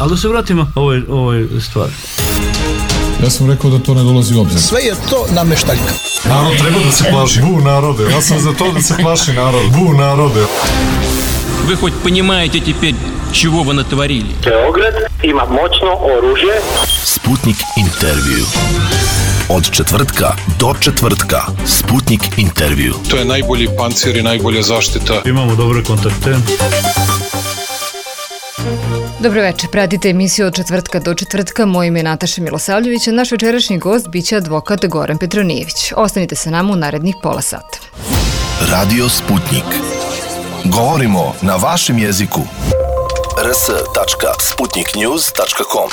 Ali da se vratimo ovoj stvari. Ja sam rekao da to ne dolazi u obzir. Sve je to nameštaljka. Narod treba da se plaši. Bu narode. Ja sam za to da se plaši narod. Bu narode. Вы хоть понимаете теперь, чего вы натворили? Beograd ima moćno oružje. Sputnik intervju. Od četvrtka do četvrtka. Sputnik intervju. To je najbolji pancir i najbolja zaštita. Imamo dobre kontakte. Dobro večer, pratite emisiju od četvrtka do četvrtka. Moje ime je Nataša Milosavljević, a naš večerašnji gost biće advokat Goran Petronijević. Ostanite sa nama u narednih pola sata. Radio Sputnik. Govorimo na vašem jeziku. rs.sputniknews.com.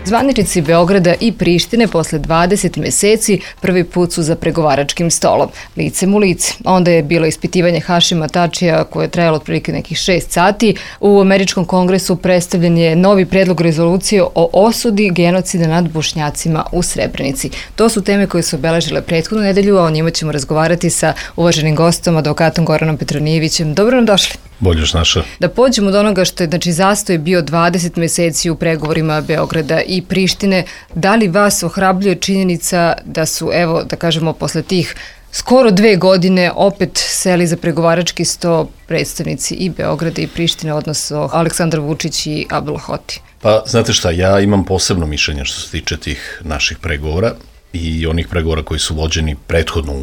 Zvaničnici Beograda i Prištine posle 20 meseci prvi put su za pregovaračkim stolom, licem u lice. Onda je bilo ispitivanje Hašima Tačija koje je trajalo otprilike nekih 6 sati. U Američkom kongresu predstavljen je novi predlog rezolucije o osudi genocida nad Bošnjacima u Srebrenici. To su teme koje su obeležile prethodnu nedelju, a o njima ćemo razgovarati sa uvaženim gostom, advokatom Goranom Petronijevićem. Dobro nam došli. Bolje naša. Da pođemo od onoga što je, zastoj bio 20 meseci u pregovorima Beograda i Prištine. Da li vas ohrabljuje činjenica da su, evo, da kažemo, posle tih skoro 2 godine opet seli za pregovarački sto predstavnici i Beograda i Prištine, odnosno Aleksandar Vučić i Abdullah Hoti? Pa, znate šta, ja imam posebno mišljenje što se tiče tih naših pregovora i onih pregovora koji su vođeni prethodno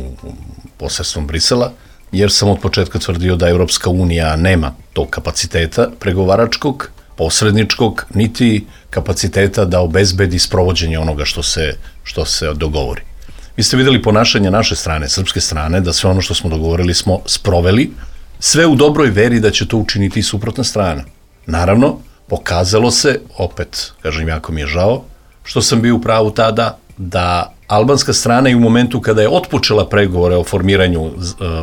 posredstvom Brisela, jer sam od početka tvrdio da Evropska unija nema tog kapaciteta pregovaračkog, posredničkog, niti kapaciteta da obezbedi sprovođenje onoga što se dogovori. Vi ste videli ponašanje naše strane, srpske strane, da sve ono što smo dogovorili smo sproveli, sve u dobroj veri da će to učiniti i suprotna strana. Naravno, pokazalo se, opet, kažem, jako mi je žao, što sam bio u pravu tada, da albanska strana i u momentu kada je otpočela pregovore o formiranju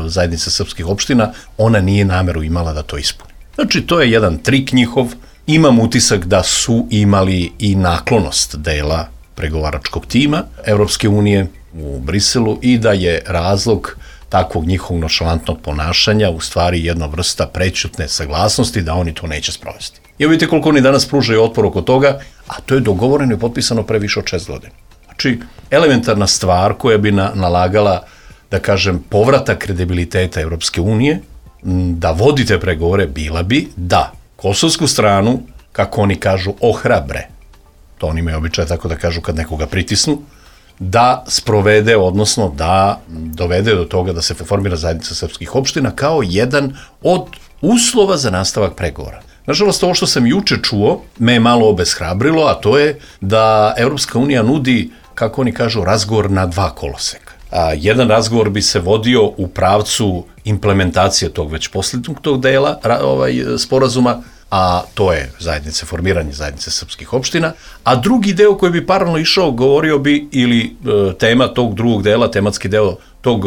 zajednice srpskih opština, ona nije nameru imala da to ispuni. Znači, to je jedan trik njihov. Imam utisak da su imali i naklonost dela pregovaračkog tima Evropske unije u Briselu i da je razlog takvog njihovog nonšalantnog ponašanja u stvari jedna vrsta prećutne saglasnosti da oni to neće sprovesti. I vidite koliko oni danas pružaju otpor oko toga, a to je dogovoreno i potpisano pre više od 6 godina. Znači, elementarna stvar koja bi nalagala, da kažem, povratak kredibiliteta Evropske unije, da vodite pregovore, bila bi da kosovsku stranu, kako oni kažu, ohrabre, to oni imaju običaj tako da kažu kad nekoga pritisnu, da sprovede, odnosno da dovede do toga da se formira zajednica srpskih opština kao jedan od uslova za nastavak pregovora. Nažalost, ovo što sam juče čuo me je malo obeshrabrilo, a to je da Evropska unija nudi, kako oni kažu, razgovor na 2 koloseka. Jedan razgovor bi se vodio u pravcu implementacije tog već posljednjeg tog dela sporazuma, a to je formiranje zajednice srpskih opština, a drugi deo koji bi paralelno išao, govorio bi, ili tema tog drugog dela, tematski deo tog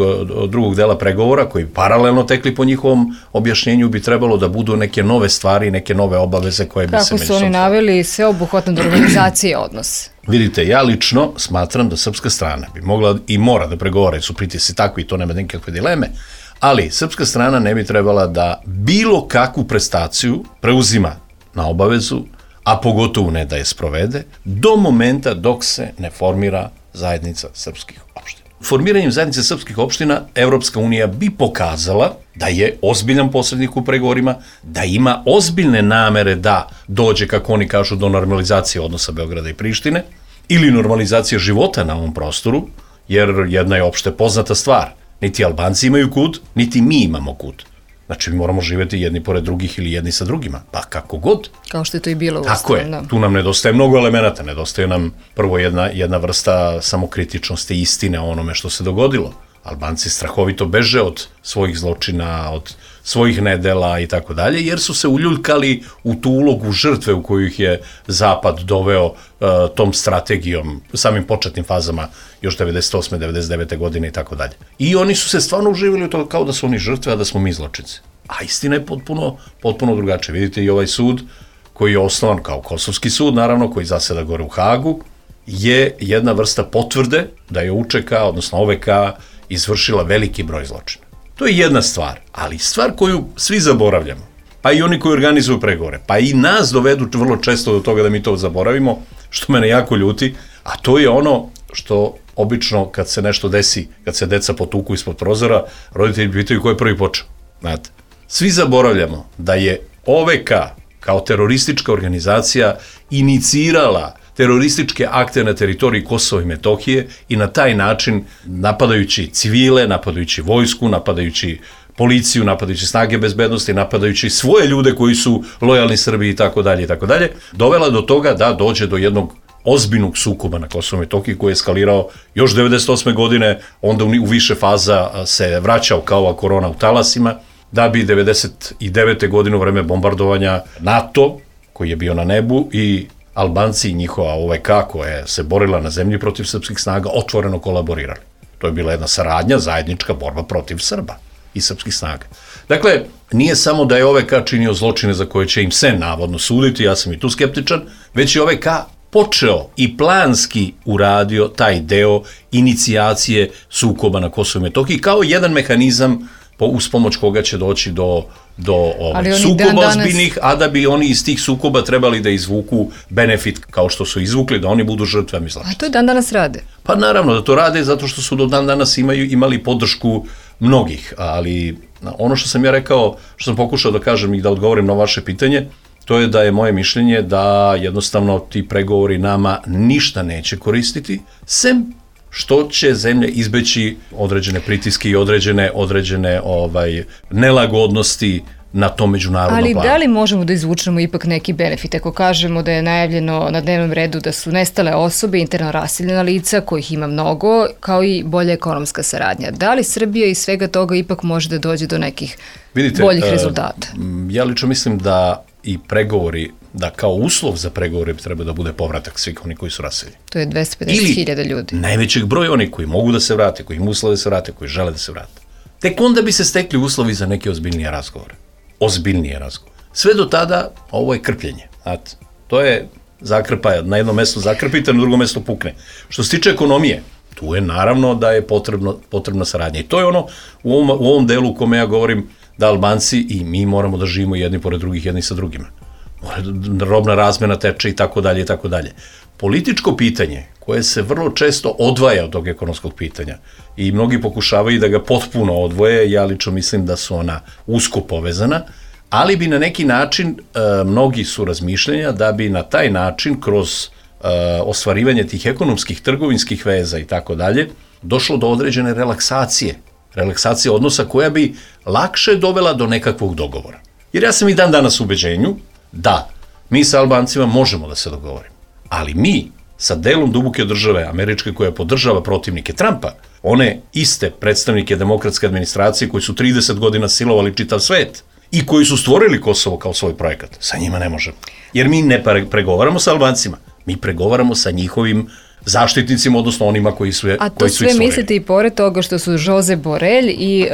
drugog dela pregovora, koji paralelno tekli po njihovom objašnjenju, bi trebalo da budu neke nove stvari, neke nove obaveze koje bi se Kako su oni naveli sveobuhvatno do organizacije odnos? Vidite, ja lično smatram da srpska strana bi mogla i mora da pregovara, su pritisci takvi i to nema nikakve dileme, ali srpska strana ne bi trebala da bilo kakvu prestaciju preuzima na obavezu, a pogotovo ne da je sprovede, do momenta dok se ne formira zajednica srpskih opština. Formiranjem zajednice srpskih opština Evropska unija bi pokazala da je ozbiljan posrednik u pregovorima, da ima ozbiljne namere da dođe, kako oni kažu, do normalizacije odnosa Beograda i Prištine ili normalizacije života na ovom prostoru, jer jedna je opšte poznata stvar. Niti Albanci imaju kud, niti mi imamo kud. Znači, mi moramo živjeti jedni pored drugih ili jedni sa drugima, pa kako god. Kao što je to i bilo u Tako je, tu nam nedostaje mnogo elemenata, nedostaje nam prvo jedna vrsta samokritičnosti, istine o onome što se dogodilo. Albanci strahovito beže od svojih zločina, od svojih nedela i tako dalje, jer su se uljuljkali u tu ulogu žrtve u koju ih je Zapad doveo tom strategijom, samim početnim fazama još 98. 99. godine i tako dalje. I oni su se stvarno uživali u to kao da su oni žrtve, a da smo mi zločinci. A istina je potpuno drugačija. Vidite i ovaj sud koji je osnovan kao kosovski sud, naravno, koji zaseda gore u Hagu, je jedna vrsta potvrde da je UČK, odnosno OVK, izvršila veliki broj zločina. To je jedna stvar, ali stvar koju svi zaboravljamo, pa i oni koji organizuju pregovore, pa i nas dovedu vrlo često do toga da mi to zaboravimo, što mene jako ljuti, a to je ono što obično kad se nešto desi, kad se deca potuku ispod prozora, roditelji pitaju ko je prvi počeo. Znate, svi zaboravljamo da je OVK kao teroristička organizacija inicirala terorističke akte na teritoriji Kosova i Metohije i na taj način napadajući civile, napadajući vojsku, napadajući policiju, napadajući snage bezbednosti, napadajući svoje ljude koji su lojalni Srbiji i tako dalje, dovela do toga da dođe do jednog ozbiljnog sukoba na Kosovu i Metohiji koji je eskalirao još 98. godine, onda u više faza se vraćao kao korona u talasima, da bi 99. godine u vreme bombardovanja NATO, koji je bio na nebu, i Albanci i njihova OVK koja se borila na zemlji protiv srpskih snaga otvoreno kolaborirali. To je bila jedna saradnja, zajednička borba protiv Srba i srpskih snaga. Dakle, nije samo da je OVK činio zločine za koje će im se navodno suditi, ja sam i tu skeptičan, već je OVK počeo i planski uradio taj deo inicijacije sukoba na Kosovu i Metohiji kao jedan mehanizam uz pomoć koga će doći do sukoba ozbiljnih, a da bi oni iz tih sukoba trebali da izvuku benefit kao što su izvukli, da oni budu žrtve. A to dan danas rade? Pa naravno da to rade zato što su do dan danas imali podršku mnogih, ali ono što sam ja rekao, što sam pokušao da kažem i da odgovorim na vaše pitanje, to je da je moje mišljenje da jednostavno ti pregovori nama ništa neće koristiti, sem što će zemlje izbeći određene pritiske i određene nelagodnosti na tom međunarodnom planu. Ali da li možemo da izvučemo ipak neki benefit ako kažemo da je najavljeno na dnevnom redu da su nestale osobe, interno raseljena lica, kojih ima mnogo, kao i bolja ekonomska saradnja? Da li Srbija iz svega toga ipak može da dođe do nekih boljih rezultata? Ja lično mislim da i pregovori, da kao uslov za pregovore treba da bude povratak svih oni koji su raseljeni. To je 250.000 ljudi. Najvećeg broja oni koji mogu da se vrate, koji im uslove da se vrate, koji žele da se vrate. Tek onda bi se stekli uslovi za neke ozbiljnije razgovore. Sve do tada ovo je krpljenje. Znate, to je zakrpa, na jednom mestu zakrpite, na drugom mestu pukne. Što se tiče ekonomije, tu je naravno da je potrebna saradnja. I to je ono u ovom delu u kome ja govorim da Albanci i mi moramo da živimo jedni pored drugih, jedni sa drugima. Robna razmena teče i tako dalje. Političko pitanje koje se vrlo često odvaja od tog ekonomskog pitanja i mnogi pokušavaju da ga potpuno odvoje, ja lično mislim da su ona usko povezana, ali bi na neki način, mnogi su razmišljanja da bi na taj način kroz ostvarivanje tih ekonomskih, trgovinskih veza i tako dalje, došlo do određene relaksacije odnosa koja bi lakše dovela do nekakvog dogovora. Jer ja sam i dan danas u ubeđenju da mi sa Albancima možemo da se dogovorimo, ali mi sa delom duboke države američke koja podržava protivnike Trumpa, one iste predstavnike demokratske administracije koji su 30 godina silovali čitav svet i koji su stvorili Kosovo kao svoj projekat, sa njima ne možemo. Jer mi ne pregovaramo sa Albancima, mi pregovaramo sa njihovim zaštitnicima, odnosno onima koji su ih stvorili. A to sve mislite i pored toga što su Josep Borelj i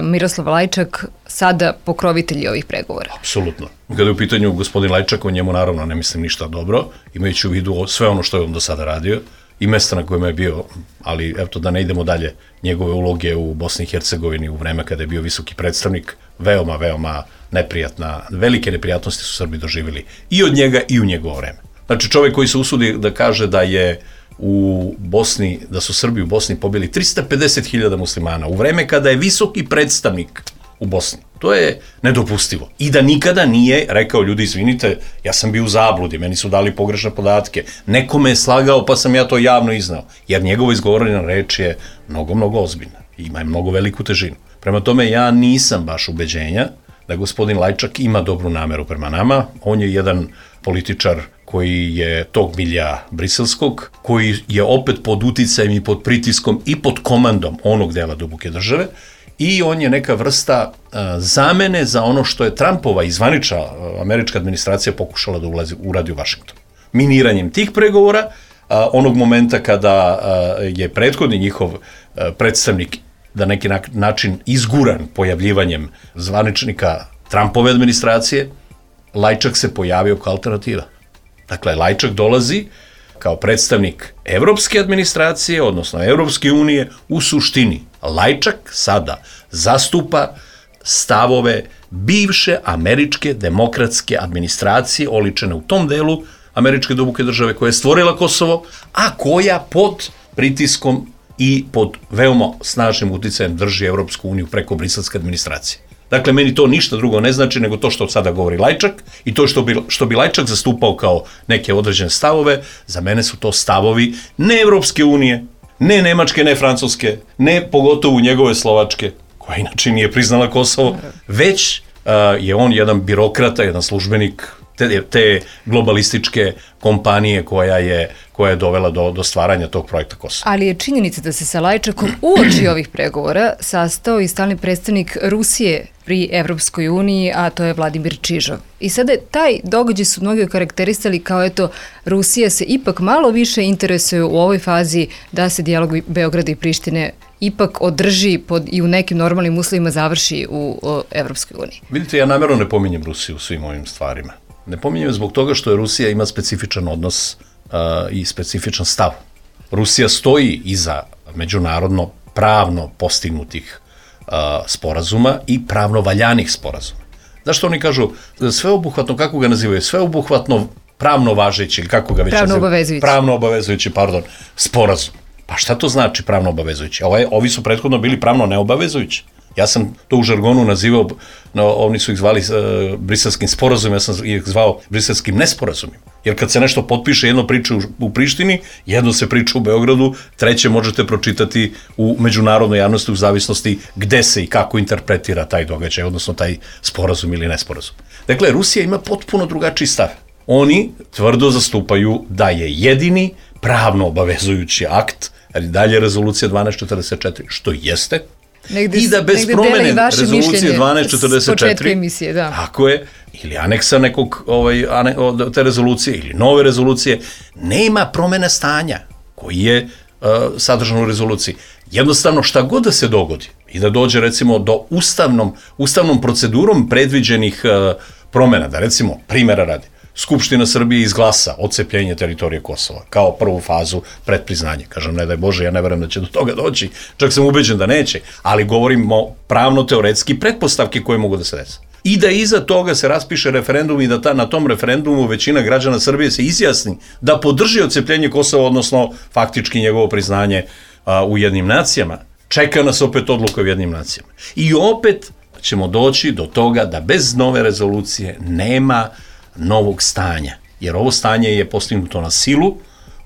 Miroslav Lajčak sada pokrovitelji ovih pregovora? Apsolutno. Kada je u pitanju gospodin Lajčak, o njemu naravno ne mislim ništa dobro, imajući u vidu sve ono što je on do sada radio i mesta na kojima je bio, ali eto da ne idemo dalje, njegove uloge u Bosni i Hercegovini u vreme kada je bio visoki predstavnik, veoma neprijatna, velike neprijatnosti su Srbi doživjeli i od njega i u njegovo vreme. Znači čovjek koji se usudi da kaže da je u Bosni, da su Srbi u Bosni pobili 350.000 muslimana u vreme kada je visoki predstavnik u Bosni. To je nedopustivo. I da nikada nije rekao, ljudi izvinite, ja sam bio u zabludi, meni su dali pogrešne podatke, neko me je slagao pa sam ja to javno iznao. Jer njegova izgovorena reč je mnogo ozbiljna. Ima je mnogo veliku težinu. Prema tome ja nisam baš ubeđenja da gospodin Lajčak ima dobru nameru prema nama. On je jedan političar koji je tog milja briselskog, koji je opet pod uticajem i pod pritiskom i pod komandom onog dela duboke države i on je neka vrsta zamene za ono što je Trumpova izvanična američka administracija pokušala da uradi u Vašingtonu. Miniranjem tih pregovora, onog momenta kada je prethodni njihov predstavnik na neki način izguran pojavljivanjem zvaničnika Trumpove administracije, Lajčak se pojavio kao alternativa. Dakle, Lajčak dolazi kao predstavnik evropske administracije, odnosno Evropske unije, u suštini. Lajčak sada zastupa stavove bivše američke demokratske administracije oličene u tom delu američke duboke države koja je stvorila Kosovo, a koja pod pritiskom i pod veoma snažnim uticajem drži Evropsku uniju preko briselske administracije. Dakle, meni to ništa drugo ne znači nego to što sada govori Lajčak i to što bi Lajčak zastupao kao neke određene stavove, za mene su to stavovi ne Evropske unije, ne Nemačke, ne Francuske, ne pogotovo njegove Slovačke, koja inače nije priznala Kosovo, već je on jedan birokrata, jedan službenik te globalističke kompanije koja je dovela do stvaranja tog projekta Kosova. Ali je činjenica da se sa Lajčakom uoči ovih pregovora sastao i stalni predstavnik Rusije pri Evropskoj uniji, a to je Vladimir Čižov. I sada taj događaj su mnogi okarakterisali kao eto, Rusija se ipak malo više interesuje u ovoj fazi da se dijalog Beograda i Prištine ipak održi i u nekim normalnim uslovima završi u Evropskoj uniji. Vidite, ja namjerno ne pominjem Rusiju u svim ovim stvarima. Ne pominjem zbog toga što je Rusija ima specifičan odnos i specifičan stav. Rusija stoji iza međunarodno pravno postignutih sporazuma i pravno valjanih sporazuma. Zašto oni kažu sveobuhvatno, kako ga nazivaju, sveobuhvatno pravno važeći, ili kako ga već nazivaju? Pravno obavezujući, sporazum. Pa šta to znači pravno obavezujući? Ovi su prethodno bili pravno neobavezujući. Ja sam to u žargonu nazivao, oni su ih zvali briselskim sporazumima, ja sam ih zvao briselskim nesporazumima. Jer kad se nešto potpiše, jedno priča u Prištini, jedno se priča u Beogradu, treće možete pročitati u međunarodnoj javnosti u zavisnosti gde se i kako interpretira taj događaj, odnosno taj sporazum ili nesporazum. Dakle, Rusija ima potpuno drugačiji stav. Oni tvrdo zastupaju da je jedini pravno obavezujući akt, ali dalje rezolucija 1244, što jeste, i da bez promene rezolucije 1244, tako je, ili aneksa nekog te rezolucije, ili nove rezolucije, nema promene stanja koji je sadržan u rezoluciji. Jednostavno, šta god da se dogodi i da dođe recimo do ustavnom procedurom predviđenih promena, da recimo, primjera radi, Skupština Srbije izglasa odcepljenje teritorije Kosova kao prvu fazu predpriznanja. Kažem, ne daj Bože, ja ne verujem da će do toga doći, čak sam ubeđen da neće, ali govorimo pravno-teoretski pretpostavke koje mogu da se desi. I da iza toga se raspiše referendum i da na tom referendumu većina građana Srbije se izjasni da podrži odcepljenje Kosova, odnosno faktički njegovo priznanje u Ujedinjenim nacijama. Čeka nas opet odluka u Ujedinjenim nacijama. I opet ćemo doći do toga da bez nove rezolucije nema novog stanja, jer ovo stanje je postignuto na silu,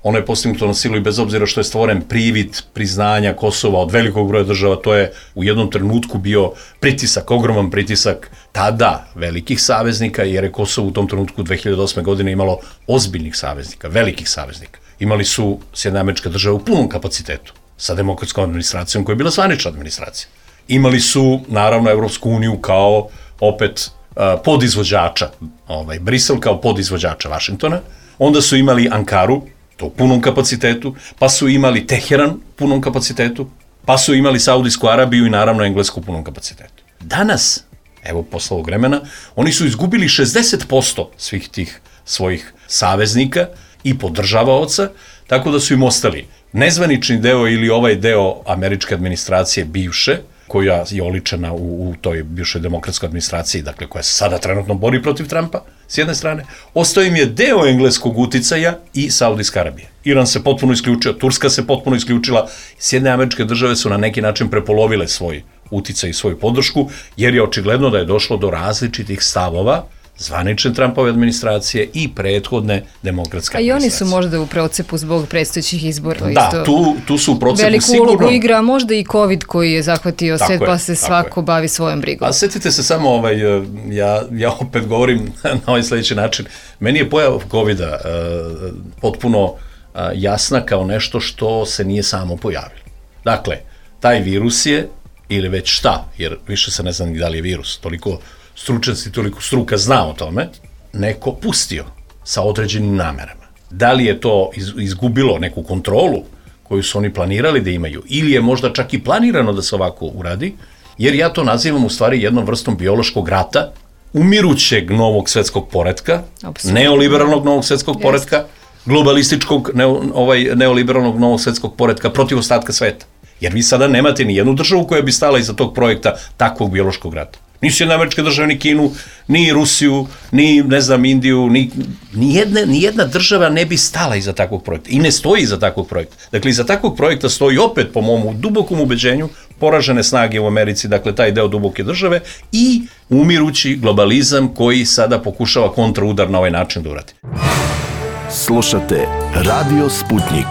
ono je postignuto na silu i bez obzira što je stvoren privid priznanja Kosova od velikog broja država, to je u jednom trenutku bio pritisak, ogroman pritisak tada velikih saveznika, jer je Kosovo u tom trenutku 2008. godine imalo ozbiljnih saveznika, velikih saveznika. Imali su Sjedinjene Američke Države u punom kapacitetu, sa demokratskom administracijom koja je bila zvanična administracija. Imali su, naravno, Evropsku uniju kao opet podizvođača, Brisel kao podizvođača Vašingtona, onda su imali Ankaru, to u punom kapacitetu, pa su imali Teheran u punom kapacitetu, pa su imali Saudijsku Arabiju i naravno Englesku u punom kapacitetu. Danas, evo posle ovog vremena, oni su izgubili 60% svih tih svojih saveznika i podržavaoca, tako da su im ostali nezvanični deo ili ovaj deo američke administracije bivše, koja je oličena u toj bivšoj demokratskoj administraciji, dakle koja se sada trenutno bori protiv Trumpa, s jedne strane, ostao im je deo engleskog uticaja i Saudijska Arabija. Iran se potpuno isključio, Turska se potpuno isključila, Sjedinjene Američke Države su na neki način prepolovile svoj uticaj i svoju podršku, jer je očigledno da je došlo do različitih stavova zvanične Trumpove administracije i prethodne demokratske administracije. A i oni su možda u procepu zbog predstojećih izbora. Da, tu su u procepu veliku sigurno. Veliku ulogu igra, možda i COVID koji je zahvatio svet, pa se svako bavi svojom brigom. A setite se samo, ja opet govorim na ovaj sljedeći način, meni je pojava COVID-a potpuno jasna kao nešto što se nije samo pojavilo. Dakle, taj virus je, ili već šta, jer više se ne zna ni da li je virus, toliko stručnjaci, toliko struka zna o tome, neko pustio sa određenim namerama. Da li je to izgubilo neku kontrolu koju su oni planirali da imaju, ili je možda čak i planirano da se ovako uradi, jer ja to nazivam u stvari jednom vrstom biološkog rata, umirućeg novog svetskog poretka, neoliberalnog novog svetskog poretka, globalističkog neoliberalnog novog svetskog poretka protiv ostatka sveta. Jer vi sada nemate ni jednu državu koja bi stala iza tog projekta takvog biološkog rata. Ni Sjedinjene Američke Države, ni Kinu, ni Rusiju, ni, ne znam, Indiju, ni jedna država ne bi stala iza takvog projekta. I ne stoji iza takvog projekta. Dakle, iza takvog projekta stoji opet, po mom dubokom ubeđenju, poražene snage u Americi, dakle, taj deo duboke države i umirući globalizam koji sada pokušava kontraudar na ovaj način da uradi. Slušate Radio Sputnik.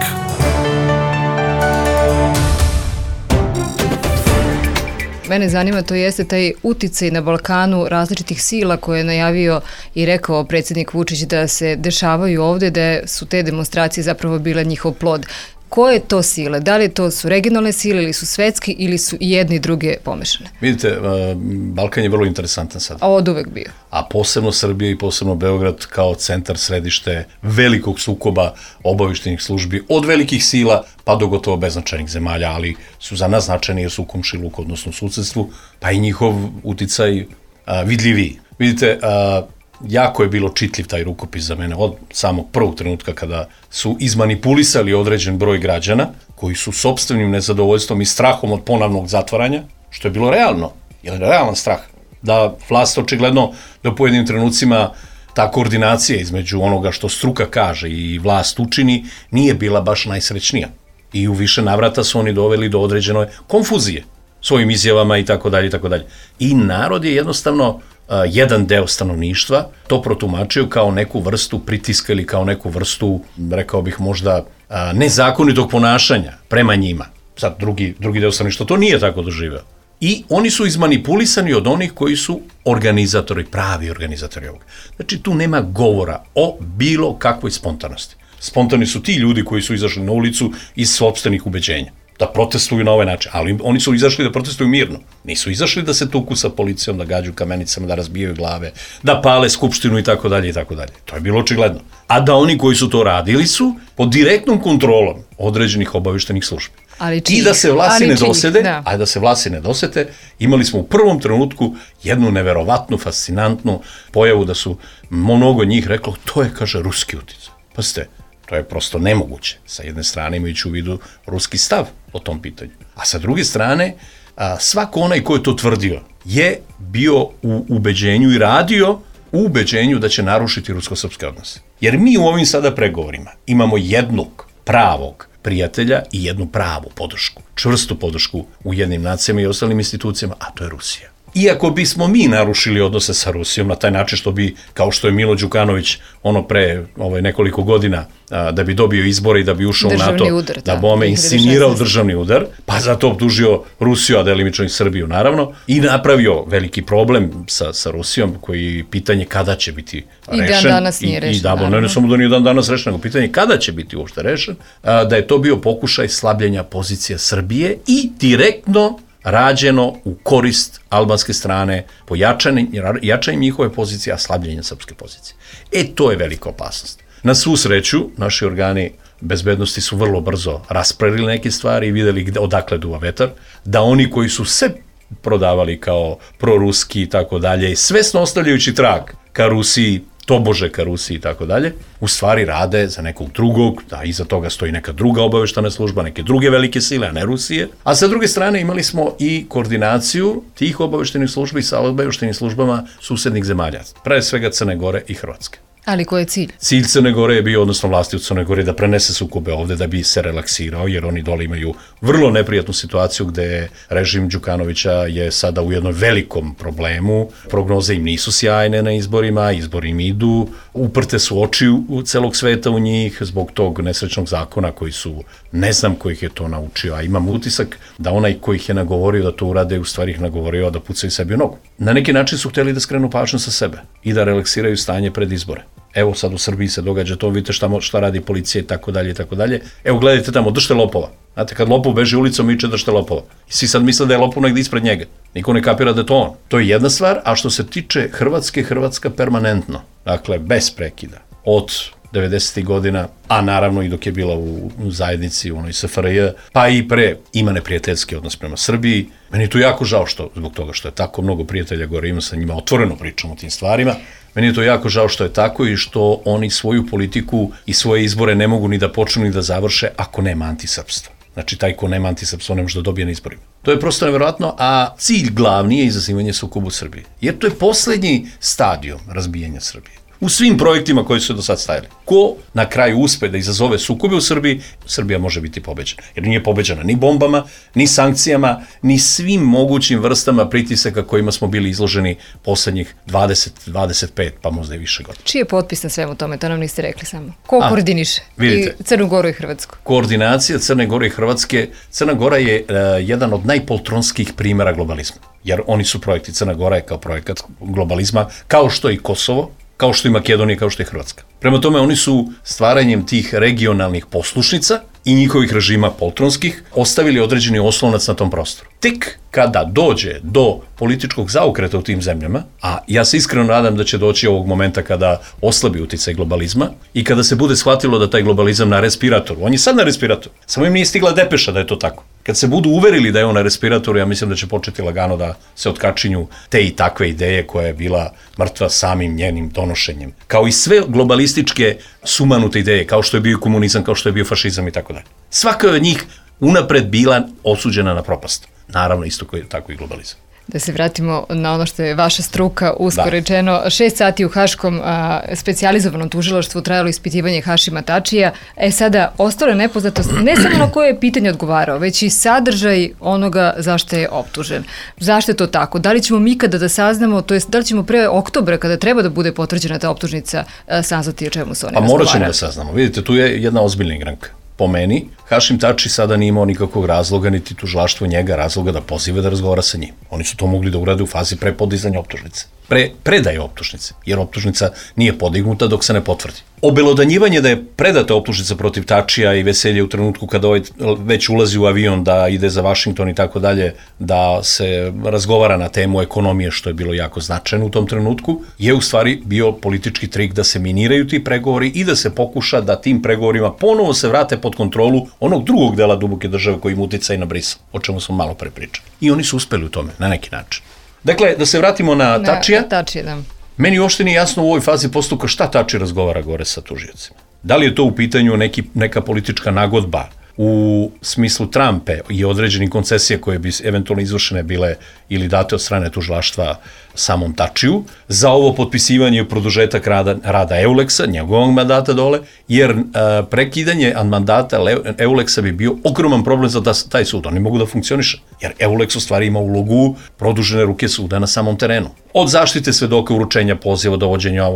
Mene zanima, to jeste taj uticaj na Balkanu različitih sila koje je najavio i rekao predsjednik Vučić da se dešavaju ovde, da su te demonstracije zapravo bile njihov plod. Koje to sile? Da li to su regionalne sile ili su svetski ili su i jedni i druge pomešane? Vidite, Balkan je vrlo interesantan sad. A od uvek bio. A posebno Srbija i posebno Beograd kao centar, središte velikog sukoba obavještajnih službi od velikih sila pa do gotovo beznačajnih zemalja, ali su za nas značajni jer su u komšiluku, odnosno u susedstvu, pa i njihov uticaj vidljiviji. Vidite, jako je bilo čitljiv taj rukopis za mene od samog prvog trenutka kada su izmanipulisali određen broj građana koji su sopstvenim nezadovoljstvom i strahom od ponovnog zatvaranja, što je bilo realno, jer je realan strah, da vlast očigledno da u pojedinim trenucima ta koordinacija između onoga što struka kaže i vlast učini nije bila baš najsrećnija. I u više navrata su oni doveli do određene konfuzije svojim izjavama i tako dalje i tako dalje. I narod je jednostavno jedan deo stanovništva to protumačio kao neku vrstu pritiska ili kao neku vrstu, rekao bih možda, nezakonitog ponašanja prema njima. Sad drugi deo stanovništva to nije tako doživeo. I oni su izmanipulisani od onih koji su organizatori, pravi organizatori ovoga. Znači tu nema govora o bilo kakvoj spontanosti. Spontani su ti ljudi koji su izašli na ulicu iz sopstvenih ubeđenja, da protestuju na ovaj način, ali oni su izašli da protestuju mirno. Nisu izašli da se tuku sa policijom, da gađu kamenicama, da razbijaju glave, da pale skupštinu i tako dalje i tako dalje. To je bilo očigledno. A da oni koji su to radili su pod direktnom kontrolom određenih obavještajnih službi. I da se vlasti ne dosede, a da se vlasti ne dosete, imali smo u prvom trenutku jednu neverovatnu, fascinantnu pojavu da su mnogo njih reklo, to je, kaže, ruski uticaj. Pazite, to je prosto nemoguće. Sa jedne strane imajući u vidu ruski stav o tom pitanju. A sa druge strane, svako onaj ko je to tvrdio je bio u ubeđenju i radio u ubeđenju da će narušiti rusko-srpske odnose. Jer mi u ovim sada pregovorima imamo jednog pravog prijatelja i jednu pravu podršku, čvrstu podršku u jednim nacijama i ostalim institucijama, a to je Rusija. Iako bismo mi narušili odnose sa Rusijom na taj način što bi, kao što je Milo Đukanović pre nekoliko godina, da bi dobio izbore i da bi ušao u NATO, da bome inscenirao državni udar, pa zato optužio Rusiju, a delimično i Srbiju naravno, i napravio veliki problem sa Rusijom, koji pitanje kada će biti rešen. I dan danas nije rešen. Ne samo da nije dan danas rešen, nego pitanje kada će biti uopšte rešen, da je to bio pokušaj slabljenja pozicija Srbije i direktno rađeno u korist albanske strane po jačanju njihove pozicije, a slabljenjem srpske pozicije. To je velika opasnost. Na svu sreću, naši organi bezbednosti su vrlo brzo raspravili neke stvari i videli odakle duva vetar, da oni koji su se prodavali kao proruski i tako dalje, svesno ostavljajući trag ka Rusiji, tobože ka Rusiji i tako dalje, u stvari rade za nekog drugog, da iza toga stoji neka druga obavještajna služba, neke druge velike sile, a ne Rusije. A sa druge strane imali smo i koordinaciju tih obavještajnih službi sa obavještajnim službama susednih zemalja, pre svega Crne Gore i Hrvatske. Ali koji je cilj? Cilj Crne Gore je bio, odnosno vlasti u Crne Gore, da prenese sukobe ovde da bi se relaksirao, jer oni dole imaju vrlo neprijatnu situaciju gde režim Đukanovića je sada u jednom velikom problemu. Prognoze im nisu sjajne na izborima, izbori im idu, uprte su oči u celog sveta u njih zbog tog nesrećnog zakona koji su, ne znam ko ih je to naučio, a imam utisak da onaj ko ih je nagovorio da to urade, u stvari ih nagovorio da pucaju sebi u nogu. Na neki način su hteli da skrenu pažnju sa sebe i da relaksiraju stanje pred izbore. Evo sad u Srbiji se događa to, vidite šta radi policija i tako dalje i tako dalje. Evo gledajte tamo, držite lopova. Znate, kad lopov beži ulicom, viče držite lopova. I svi sad misle da je lopov negdje ispred njega. Niko ne kapira da je to on. To je jedna stvar, a što se tiče Hrvatske, Hrvatska permanentno, dakle bez prekida, od 90. godina, a naravno i dok je bila u zajednici, u onoj SFRJ, pa i pre, ima neprijateljski odnos prema Srbiji. Meni je to jako žao zbog toga što je tako mnogo prijatelja gore, ima sa njima otvoreno pričam o tim stvarima. Meni je to jako žao što je tako i što oni svoju politiku i svoje izbore ne mogu ni da počnu ni da završe ako nema antisrpstva. Znači, taj ko nema antisrpstvo ne može da dobije na izborima. To je prosto nevjerojatno, a cilj glavni je izazivanje sukoba u Srbiji. Jer to je poslednji stadijum razbijanja Srbije. U svim projektima koji su do sad stajali. Ko na kraju uspe da izazove sukobe u Srbiji, Srbija može biti pobeđena. Jer nije pobeđena ni bombama, ni sankcijama, ni svim mogućim vrstama pritisaka kojima smo bili izloženi poslednjih 20, 25, pa možda i više godina. Čiji je potpis na svemu tome? To nam niste rekli samo. Ko koordiniše? Vidite, I Crnu Goru i Hrvatsku? Koordinacija Crne Gore i Hrvatske. Crna Gora je jedan od najpoltronskih primjera globalizma. Jer oni su projekti. Crna Gora je kao projekat globalizma, kao što i Kosovo, kao što i Makedonija, kao što i Hrvatska. Prema tome, oni su stvaranjem tih regionalnih poslušnica i njihovih režima poltronskih ostavili određeni oslonac na tom prostoru. Tek kada dođe do političkog zaokreta u tim zemljama, a ja se iskreno nadam da će doći ovog momenta kada oslabi uticaj globalizma i kada se bude shvatilo da taj globalizam na respiratoru, on je sad na respiratoru, samo im nije stigla depeša da je to tako. Kad se budu uverili da je on na respiratoru, ja mislim da će početi lagano da se otkačinju te i takve ideje koja je bila mrtva samim njenim donošenjem. Kao i sve globalističke sumanute ideje, kao što je bio komunizam, kao što je bio fašizam i tako dalje. Svaka od njih unapred bila osuđena na propast. Naravno, isto tako i globalizam. Da se vratimo na ono što je vaša struka, usko rečeno. 6 sati u Haškom specijalizovanom tužilaštvu trajalo ispitivanje Hašima Tačija. Sada ostalo je nepoznatost ne samo na koje je pitanje odgovarao, već i sadržaj onoga zašto je optužen. Zašto je to tako? Da li ćemo mi kada da saznamo, to jest da li ćemo pre oktobra kada treba da bude potvrđena ta optužnica saznati o čemu se oni razgovaraju? Morat ćemo da saznamo. Vidite, tu je jedna ozbiljna igranka. Po meni, Hašim Tači sada nije imao nikakvog razloga, niti tužilaštvo njega razloga da pozive da razgovara sa njim. Oni su to mogli da urade u fazi pre podizanja optužnice. Predaje optužnice, jer optužnica nije podignuta dok se ne potvrdi. Obelodanjivanje da je predata optužnica protiv Tačija i veselje u trenutku kada ovaj već ulazi u avion da ide za Vašington i tako dalje, da se razgovara na temu ekonomije, što je bilo jako značajno u tom trenutku, je u stvari bio politički trik da se miniraju ti pregovori i da se pokuša da tim pregovorima ponovo se vrate pod kontrolu onog drugog dela duboke države koji im uticaj na Brisel, o čemu smo malo pre pričali. I oni su uspeli u tome, na neki način. Dakle, da se vratimo na Tačija. Meni uopšte nije jasno u ovoj fazi postupka šta Tači razgovara gore sa tužiocima. Da li je to u pitanju neka politička nagodba u smislu Trumpe i određenih koncesija koje bi eventualno izvršene bile ili date od strane tužilaštva samom Tačiju, za ovo potpisivanje i produžetak rada Euleksa, njegovog mandata dole, jer prekidanje mandata Euleksa bi bio ogroman problem za taj sud. Oni mogu da funkcioniše, jer Euleks u stvari ima ulogu produžene ruke suda na samom terenu. Od zaštite svedoka, uručenja poziva, dovođenja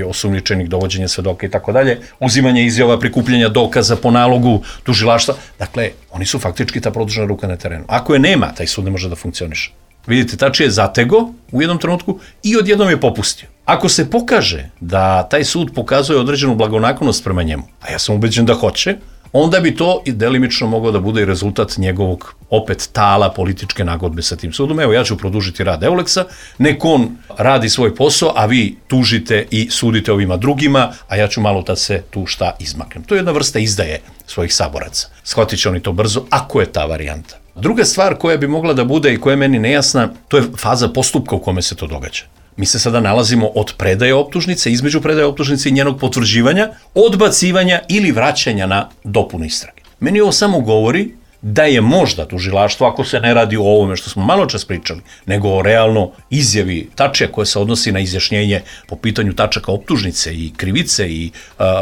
osumnjičenih, dovođenja svedoka i tako dalje, uzimanje izjava, prikupljanja dokaza po nalogu tužilaštva. Dakle, oni su faktički ta produžena ruka na terenu. Ako je nema, taj sud ne može da funkcioniše. Vidite, Tači je zatego u jednom trenutku i odjednom je popustio. Ako se pokaže da taj sud pokazuje određenu blagonaklonost prema njemu, a ja sam ubeđen da hoće, onda bi to i delimično moglo da bude i rezultat njegovog opet tala političke nagodbe sa tim sudom. Evo, ja ću produžiti rad Euleksa, nek on radi svoj posao, a vi tužite i sudite ovima drugima, a ja ću malo da se tu šta izmaknem. To je jedna vrsta izdaje svojih saboraca. Shvatit će oni to brzo, ako je ta varijanta. Druga stvar koja bi mogla da bude i koja je meni nejasna, to je faza postupka u kome se to događa. Mi se sada nalazimo od predaje optužnice, između predaje optužnice i njenog potvrđivanja, odbacivanja ili vraćanja na dopunu istrage. Meni ovo samo govori da je možda tužilaštvo, ako se ne radi o ovome što smo malo čas pričali, nego o realno izjavi Tačija koja se odnosi na izjašnjenje po pitanju tačaka optužnice i krivice i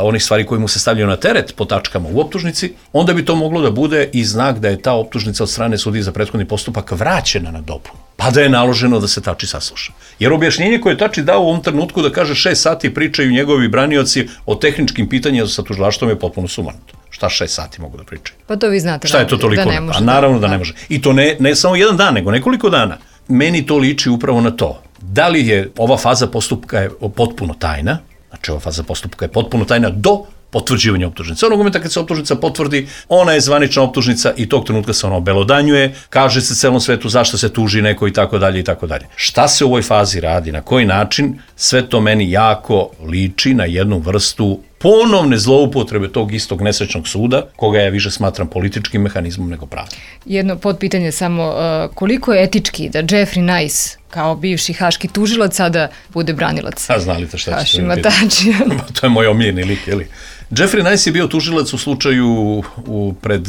onih stvari koje mu se stavljaju na teret po tačkama u optužnici, onda bi to moglo da bude i znak da je ta optužnica od strane sudije za prethodni postupak vraćena na dopunu. Pa da je naloženo da se Tači sasluša. Jer objašnjenje koje je Tači dao u ovom trenutku da kaže 6 sati pričaju njegovi branioci o tehničkim pitanjima sa tužilaštvom je potpuno sumanuto. Šta 6 sati mogu da pričaju? Pa to vi znate. Šta je to toliko? Da ne može. A naravno da ne može. I to ne samo jedan dan, nego nekoliko dana. Meni to liči upravo na to. Da li je ova faza postupka je potpuno tajna, znači ova faza postupka je potpuno tajna do potvrđivanja optužnice. Onog momenta kad se optužnica potvrdi, ona je zvanična optužnica i tog trenutka se ona obelodanjuje, kaže se celom svetu zašto se tuži neko i tako dalje i tako dalje. Šta se u ovoj fazi radi, na koji način, sve to meni jako liči na jednu vrstu ponovne zloupotrebe tog istog nesrećnog suda, koga ja više smatram političkim mehanizmom nego pravim. Jedno podpitanje samo, koliko je etički da Jeffrey Nice, kao bivši haški tužilac, sada bude branilac Hašima Tačija? To je moj omiljeni lik, je li? Jeffrey Nice je bio tužilac u slučaju pred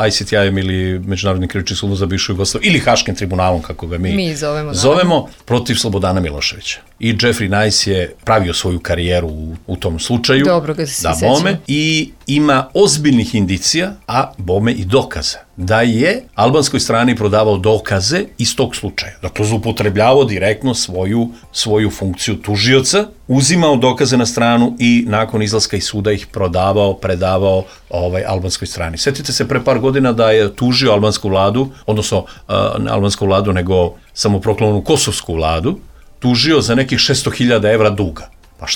ICTI-em ili Međunarodnim krivičnim sudom za bivšu Jugoslaviju ili Haškim tribunalom, kako ga mi zovemo, protiv Slobodana Miloševića. I Jeffrey Nice je pravio svoju karijeru u tom slučaju. Dobro ga se sećamo. I ima ozbiljnih indicija, a bome i dokaza, da je albanskoj strani prodavao dokaze iz tog slučaja. Dakle, zloupotrebljavao direktno svoju funkciju tužioca, uzimao dokaze na stranu i nakon izlaska iz suda ih predavao albanskoj strani. Sjetite se pre par godina da je tužio albansku vladu, odnosno ne albansku vladu, nego samoproklamnu kosovsku vladu, tužio za nekih 600.000 evra duga. Pa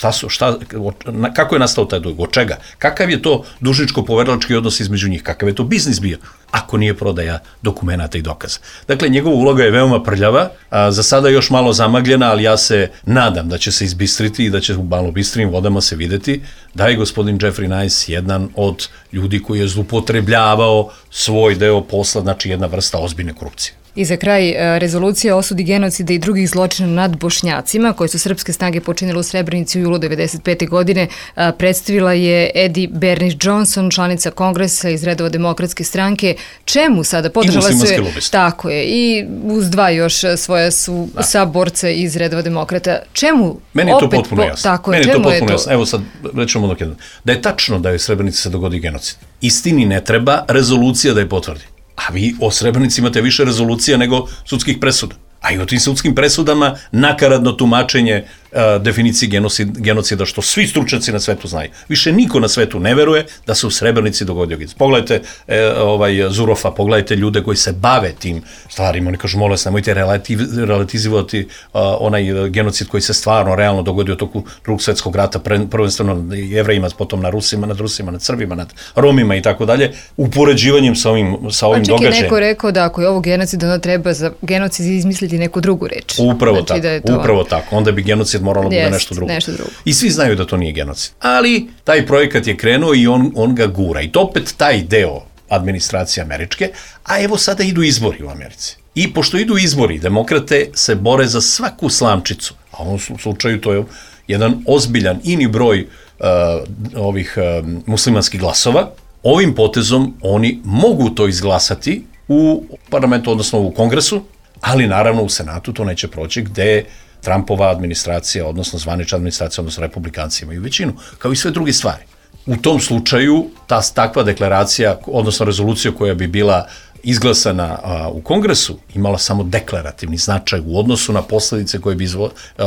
kako je nastao taj dug? Od čega? Kakav je to dužničko-poverilački odnos između njih? Kakav je to biznis bio? Ako nije prodaja dokumenata i dokaza. Dakle, njegova uloga je veoma prljava, za sada još malo zamagljena, ali ja se nadam da će se izbistriti i da će u malo bistrijim vodama se videti da je gospodin Jeffrey Nice jedan od ljudi koji je zloupotrebljavao svoj deo posla, znači jedna vrsta ozbiljne korupcije. I za kraj, rezolucija o osudi genocida i drugih zločina nad Bošnjacima, koje su srpske snage počinile u Srebrenici u julu 1995. godine, predstavila je Eddie Bernice-Johnson, članica kongresa iz redova Demokratske stranke. Čemu sada? Podržala se, tako je, i uz dva još svoja su saborca iz redova demokrata. Čemu? Meni je to potpuno jasno. Meni je to potpuno jasno. Evo sad rećemo dok jedan. Da je tačno da je u Srebrenici se dogodi genocid. Istini ne treba rezolucija da je potvrdi. A vi o Srebrenici imate više rezolucija nego sudskih presuda. A i o tim sudskim presudama nakaradno tumačenje definiciji genocida, što svi stručnjaci na svetu znaju. Više niko na svetu ne veruje da se u Srebrenici dogodio genocid. Pogledajte Zurofa, pogledajte ljude koji se bave tim stvarima. Oni kažu, molim vas, nemojte relativizovati onaj genocid koji se stvarno realno dogodio toku Drugog svjetskog rata, prvenstveno nad Jevrejima, potom na Rusima, nad Srbima, nad Romima i tako dalje, upoređivanjem sa ovim događajem. Čak je neko rekao da ako je ovo genocid, onda treba za genocid izmisliti neku drugu reč. Upravo tako. Onda bi genocid moralo bude nešto drugo. I svi znaju da to nije genocid. Ali taj projekat je krenuo i on ga gura. I to opet taj deo administracije američke, a evo sada idu izbori u Americi. I pošto idu izbori, demokrate se bore za svaku slamčicu. A u ovom slučaju to je jedan ozbiljan ini broj ovih muslimanskih glasova. Ovim potezom oni mogu to izglasati u parlamentu, odnosno u kongresu, ali naravno u Senatu to neće proći, gde Trumpova administracija, odnosno zvanična administracija, odnosno republikanci imaju većinu, kao i sve druge stvari. U tom slučaju, takva deklaracija, odnosno rezolucija koja bi bila izglasana u kongresu, imala samo deklarativni značaj u odnosu na posledice koje bi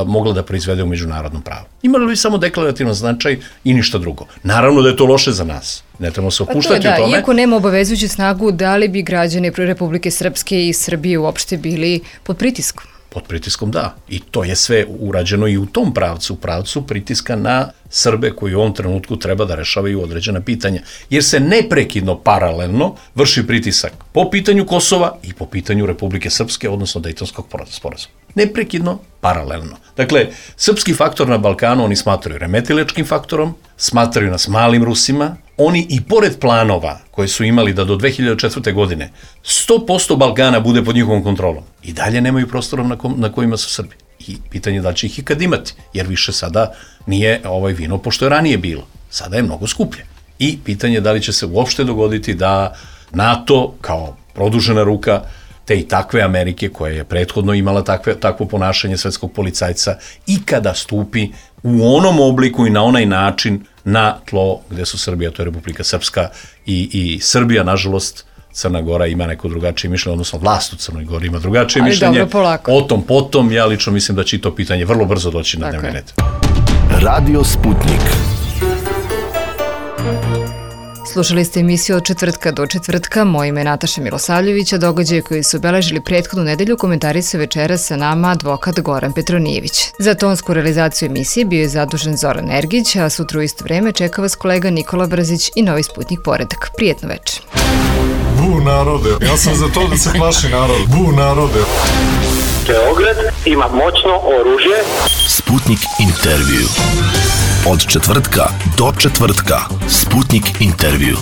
mogla da proizvede u međunarodnom pravu. Imala bi samo deklarativan značaj i ništa drugo. Naravno da je to loše za nas. Ne trebamo se opuštati u tome. Iako nema obavezujuću snagu, da li bi građani Republike Srpske i Srbije uopšte bili pod pritiskom? Pod pritiskom, da. I to je sve urađeno i u tom pravcu pritiska na Srbe koji u ovom trenutku treba da rešavaju određena pitanja. Jer se neprekidno, paralelno vrši pritisak po pitanju Kosova i po pitanju Republike Srpske, odnosno Dejtonskog sporazuma. Neprekidno, paralelno. Dakle, srpski faktor na Balkanu oni smatraju remetilačkim faktorom, smatraju nas malim Rusima. Oni i pored planova koje su imali da do 2004. godine 100% Balkana bude pod njihovom kontrolom, i dalje nemaju prostora na kojima su Srbi. I pitanje da će ih ikad imati, jer više sada nije vino pošto je ranije bilo. Sada je mnogo skuplje. I pitanje da li će se uopšte dogoditi da NATO kao produžena ruka te i takve Amerike, koja je prethodno imala takvo ponašanje svetskog policajca, ikada stupi u onom obliku i na onaj način na tlo gde su Srbija, to je Republika Srpska i Srbija, nažalost, Crna Gora ima neko drugačije mišljenje, odnosno vlast u Crnoj Gori ima drugačije mišljenje. O tom potom, ja lično mislim da će i to pitanje vrlo brzo doći na dnevni red. Radio Sputnik. Slušali ste emisiju od četvrtka do četvrtka. Moje ime je Nataša Milosavljević, a događaje koji su obeležili prethodnu nedelju komentarisao večeras sa nama advokat Goran Petronijević. Za tonsku realizaciju emisije bio je zadužen Zoran Ergić, a sutra u isto vreme čeka vas kolega Nikola Brzić i Novi Sputnik Poredak. Prijetno večer. Bu narode, ja sam za to da se plaši narod. Bu narode. Beograd ima moćno oružje. Sputnik intervju. Od četvrtka do četvrtka. Sputnik intervju.